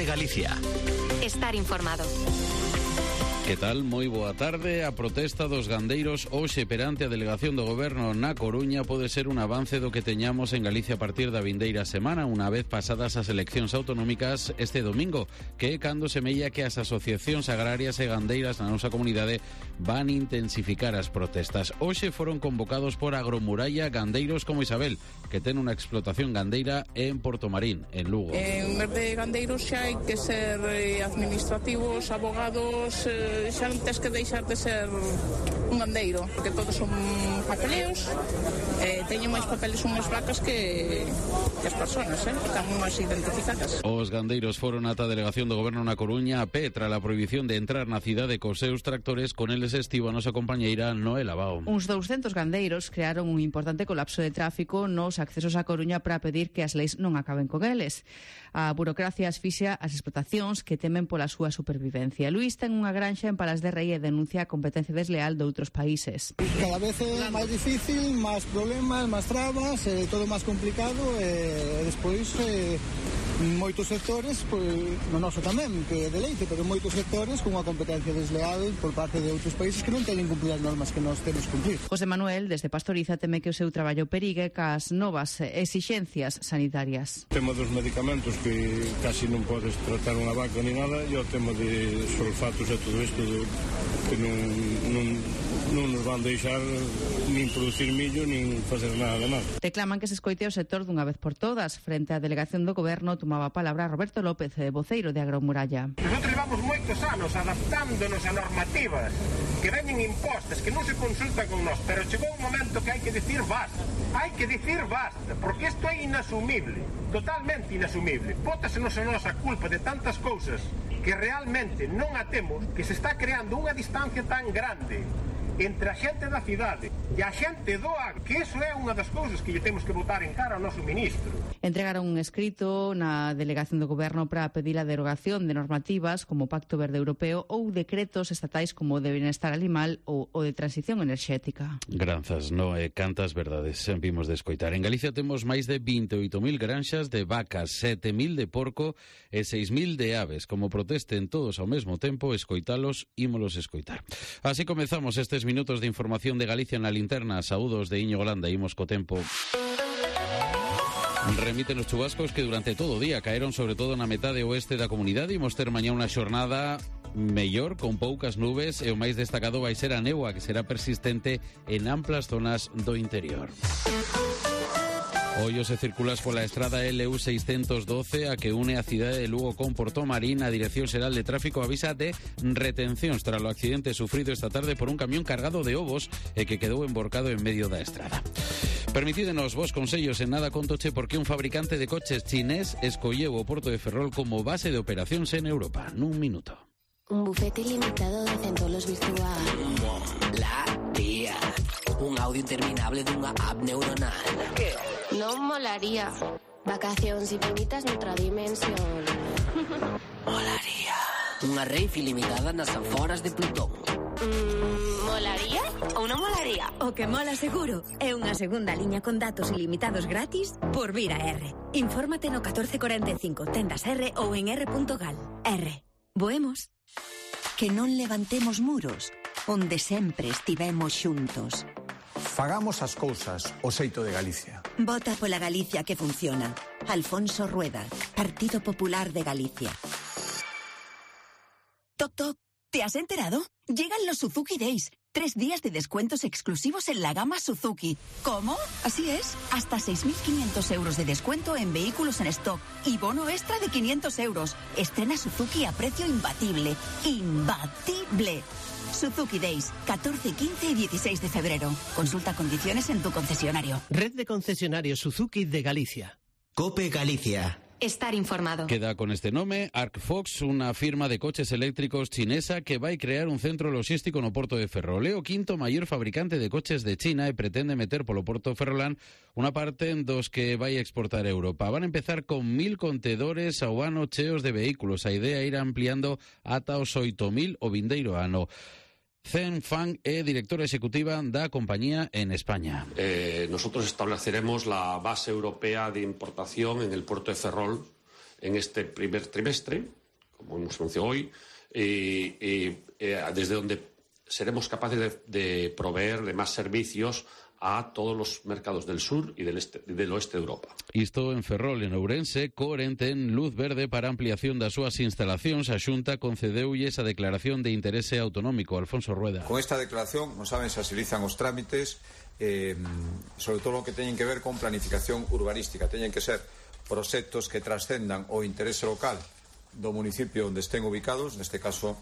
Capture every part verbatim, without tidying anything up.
Galicia. Estar informado. Que tal? Moi boa tarde. A protesta dos gandeiros hoxe perante a delegación do Goberno na Coruña pode ser un avance do que teñamos en Galicia a partir da vindeira semana, unha vez pasadas as eleccións autonómicas este domingo, que é cando semella que as asociacións agrarias e gandeiras na nosa comunidade van intensificar as protestas. Hoxe foron convocados por Agromuralla gandeiros como Isabel, que ten unha explotación gandeira en Portomarín, en Lugo. En vez de gandeiros xa hai que ser eh, administrativos, abogados, eh, xa non tens que deixar de ser un gandeiro, porque todos son papeleos, eh, teñen máis papeles unhas vacas que, que as persoas, eh, están máis identificadas. Os gandeiros foron ata a delegación do Goberno na Coruña a pé tras a prohibición de entrar na cidade cos seus tractores. Con eles estivo a nosa compañeira Noela Bao. Uns douscentos gandeiros crearon un importante colapso de tráfico nos accesos a Coruña para pedir que as leis non acaben con eles. A burocracia asfixia as explotacións que temen pola súa supervivencia. Luís ten unha granxa en Palas de Rei e denuncia a competencia desleal de outros países. Cada vez é máis difícil, máis problemas, máis trabas, é todo máis complicado e despois eh, moitos sectores, pois, no noso tamén, que é de leite, pero moitos sectores con unha competencia desleal por parte de outros países que non teñen cumplir as normas que nós temos que cumplir. José Manuel, desde Pastoriza, teme que o seu traballo perigue cas novas exixencias sanitarias. O tema dos medicamentos que casi non podes tratar unha vaca ni nada, e o tema de sulfatos e todo isto de, que non, non, non nos van deixar nin producir millo nin facer nada de nada. Reclaman que se escoite o sector dunha vez por todas. Frente á delegación do Goberno tomaba a palabra Roberto López, voceiro de Agromuralla. Nosotros levamos moitos anos adaptándonos a normativas que veñen impostas, que non se consultan con nós, pero chegou un momento que hai que dicir basta. Hai que dicir basta, porque isto é inasumible, totalmente inasumible. Pótasenos a nosa culpa de tantas cousas que realmente non a temos, que se está creando unha distancia tan grande entre a xente da cidade e a xente do agro, que iso é unha das cousas que lle temos que botar en cara ao noso ministro. Entregaron un escrito na delegación do Goberno para pedir a derogación de normativas como o Pacto Verde Europeo ou decretos estatais como o de Benestar Animal ou o de Transición Enerxética. Granzas, no e cantas verdades vimos de escoitar. En Galicia temos máis de vinte e oito mil granxas de vacas, sete mil de porco e seis mil de aves. Como protesten todos ao mesmo tempo, escoitalos, ímolos escoitar. Así comezamos estes minutos de información de Galicia na linterna. Saúdos de Iñigo Landa, imos co tempo. Remiten os chubascos que durante todo o día caeron sobre todo na metade oeste da comunidade. Imos ter mañá unha xornada mellor, con poucas nubes, e o máis destacado vai ser a néboa, que será persistente en amplas zonas do interior. Hoy se circulas pola estrada L U seiscentos doce a que une a cidade de Lugo con Portomarín. A Dirección Xeral de Tráfico avisa de retencións tras o accidente sufrido esta tarde por un camión cargado de ovos e que quedou emborcado en medio da estrada. Permitídenos vos consellos en nada contoche porque un fabricante de coches chinés escolleu o Porto de Ferrol como base de operacións en Europa. Nun minuto. Un bufete ilimitado de centolos virtual. La tía. Un audio interminable dunha app neuronal. Que? Non molaría. Vacacións infinitas noutra dimensión. Molaría. Unha rave ilimitada nas aforas de Plutón. Mm, molaría ou non molaría? O que mola seguro é unha segunda liña con datos ilimitados gratis por Vira R. Infórmate no catorce cuarenta e cinco, tendas R ou en r punto gal. R. Voemos. Que non levantemos muros, onde sempre estivemos xuntos. Fagamos as cousas o xeito de Galicia. Vota pola Galicia que funciona. Alfonso Rueda, Partido Popular de Galicia. Toc, toc, ¿te has enterado? Llegan los Suzuki Days. Tres días de descuentos exclusivos en la gama Suzuki. ¿Cómo? Así es. Hasta seis mil quinientos euros de descuento en vehículos en stock y bono extra de quinientos euros. Estrena Suzuki a precio imbatible. ¡Imbatible! Suzuki Days, catorce, quince y dieciséis de febrero. Consulta condiciones en tu concesionario. Red de concesionarios Suzuki de Galicia. COPE Galicia. Estar informado. Queda con este nome Arcfox, unha firma de coches eléctricos chinesa que vai crear un centro logístico no Porto de Ferrol. É o quinto maior fabricante de coches de China e pretende meter polo Porto Ferrolán unha parte dos que vai exportar a Europa. Van a empezar con mil contedores ao ano cheos de vehículos. A idea é ir ampliando ata os oito mil o vindeiro ano. Zhen Fang é directora ejecutiva da compañía en España. Eh, nosotros estableceremos la base europea de importación en el puerto de Ferrol en este primer trimestre como hemos anunciado hoy, eh, eh, eh, desde donde seremos capaces de, de proveer de más servicios a todos los mercados del sur y del, este, del oeste de Europa. Isto en Ferrol, en Ourense, Coren ten luz verde para ampliación das súas instalacións. A Xunta concedeulle esa declaración de interese autonómico. Alfonso Rueda. Con esta declaración, como saben, se agilizan os trámites, eh, sobre todo lo que teñen que ver con planificación urbanística. Teñen que ser proxectos que trascendan o interese local do municipio onde estén ubicados, neste caso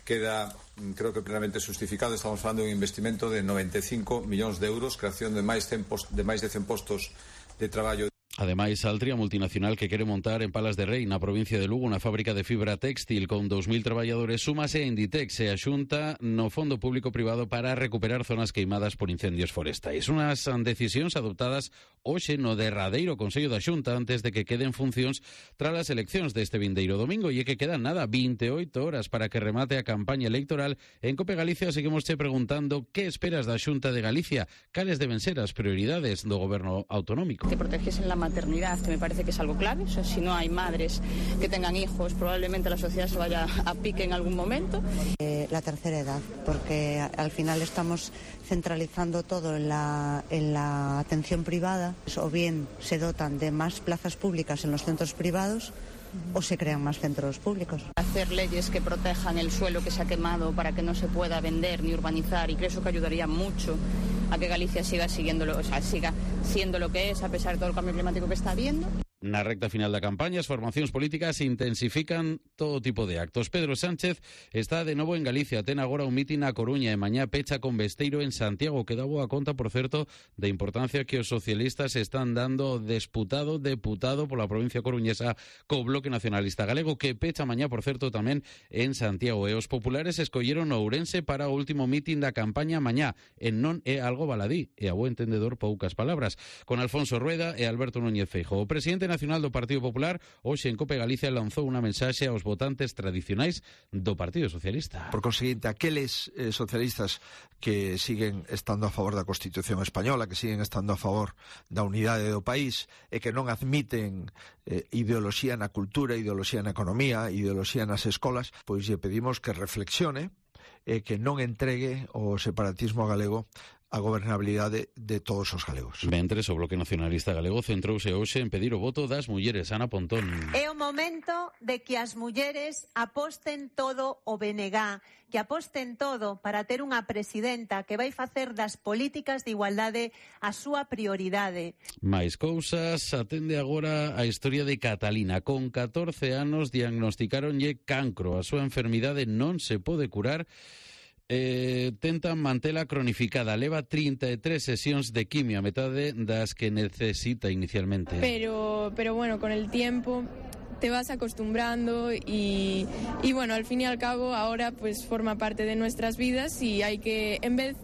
queda, creo que plenamente justificado. Estamos falando de un investimento de noventa e cinco millóns de euros, creación de máis de máis de cen postos de traballo. Ademais, Altria, multinacional que quere montar en Palas de Rei, na provincia de Lugo, unha fábrica de fibra téxtil con dous mil traballadores, súmase a Inditex e a Xunta no Fondo Público Privado para recuperar zonas queimadas por incendios forestais. Unhas decisións adoptadas hoxe no derradeiro Consello da Xunta antes de que queden funcións tras as eleccións deste vindeiro domingo, e é que quedan nada, vinte e oito horas para que remate a campaña electoral. En Cope Galicia seguimos che preguntando que esperas da Xunta de Galicia, cales deben ser as prioridades do goberno autonómico. Que protejesen la maternidad, que me parece que es algo clave. O sea, si no hay madres que tengan hijos, probablemente la sociedad se vaya a pique en algún momento. Eh, la tercera edad, porque al final estamos centralizando todo en la, en la atención privada, o bien se dotan de más plazas públicas en los centros privados, o se crean más centros públicos. Hacer leyes que protejan el suelo que se ha quemado para que no se pueda vender ni urbanizar, y creo eso que ayudaría mucho a que Galicia siga siguiéndolo, o sea, siga siendo lo que es a pesar de todo el cambio climático que está habiendo. Na recta final da campaña, as formacións políticas intensifican todo tipo de actos. Pedro Sánchez está de novo en Galicia, ten agora un mitin na Coruña e mañá pecha con Besteiro en Santiago, que dá boa conta, por certo, da importancia que os socialistas están dando disputado deputado pola provincia coruñesa co Bloque Nacionalista Galego, que pecha mañá, por certo, tamén en Santiago. E os populares escolleron Ourense para o último mitin da campaña mañá, e non é algo baladí, e a bo entendedor poucas palabras, con Alfonso Rueda e Alberto Núñez Feijóo. O presidente nacional do Partido Popular hoxe en Cope Galicia lanzou unha mensaxe aos votantes tradicionais do Partido Socialista. Por conseguinte, aqueles eh, socialistas que siguen estando a favor da Constitución española, que siguen estando a favor da unidade do país e que non admiten eh, ideoloxía na cultura, ideoloxía na economía, ideoloxía nas escolas, pois lle pedimos que reflexione e que non entregue o separatismo galego a gobernabilidade de todos os galegos. Mentres, o Bloque Nacionalista Galego centrouse hoxe en pedir o voto das mulleres. Ana Pontón. É o momento de que as mulleres aposten todo o B N G, que aposten todo para ter unha presidenta que vai facer das políticas de igualdade a súa prioridade. Mais cousas, atende agora a historia de Catalina. Con catorce anos diagnosticáronlle cancro. A súa enfermidade non se pode curar. Eh, tentan mantela cronificada. Leva trinta e tres sesións de quimio, a metade das que necesita inicialmente. Pero, pero bueno, con el tiempo te vas acostumbrando y, y bueno, al fin y al cabo ahora pues forma parte de nuestras vidas y hay que, en vez...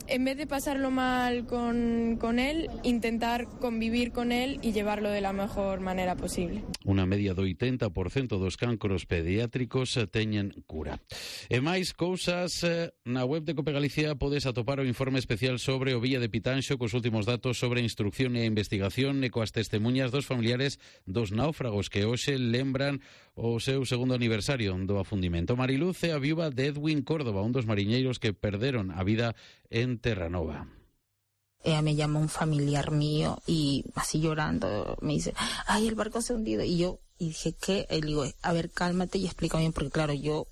En vez de pasarlo mal con, con él, intentar convivir con él y llevarlo de la mejor manera posible. Unha media do oitenta por cento dos cancros pediátricos teñen cura. E máis cousas, na web de Cope Galicia podes atopar o informe especial sobre o Villa de Pitanxo cos últimos datos sobre a instrucción e a investigación e coas testemunhas dos familiares dos náufragos que hoxe lembran o seu segundo aniversario do afundimento. Mariluz é a viúva de Edwin Córdoba, un dos mariñeiros que perderon a vida en Terranova. Ella me llamó un familiar mío y así llorando me dice, ay, el barco se ha hundido. Y yo y dije, ¿qué? Y le digo, a ver, cálmate y explícame bien, porque claro, yo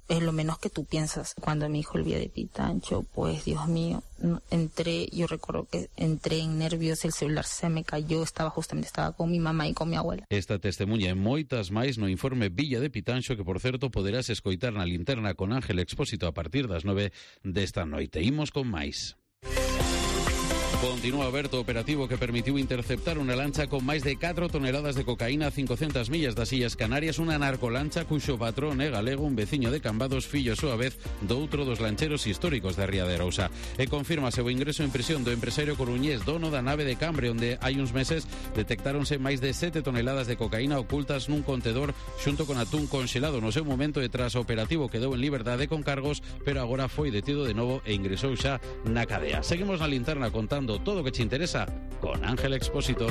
es lo menos que tú piensas. Cuando me dijo el Villa de Pitanxo, pues Dios mío, entré, yo recuerdo que entré en nervios, el celular se me cayó, estaba justamente, estaba con mi mamá y con mi abuela. Esta testemunha e moitas máis no informe Villa de Pitanxo, que por certo poderás escoitar na linterna con Ángel Expósito a partir das nove desta noite. Imos con máis. Continúa aberto o operativo que permitiu interceptar unha lancha con máis de catro toneladas de cocaína a cincocentas millas das Illas Canarias, unha narcolancha cuxo patrón é galego, un veciño de Cambados, fillo a súa vez do outro dos lancheros históricos da Ría de Arousa. E confirmase o ingreso en prisión do empresario coruñés, dono da nave de Cambre, onde hai uns meses detectáronse máis de sete toneladas de cocaína ocultas nun contedor xunto con atún conxelado. No seu momento e tras o operativo quedou en liberdade con cargos, pero agora foi detido de novo e ingresou xa na cadea. Seguimos na linterna contando todo o que te interesa con Ángel Expósito.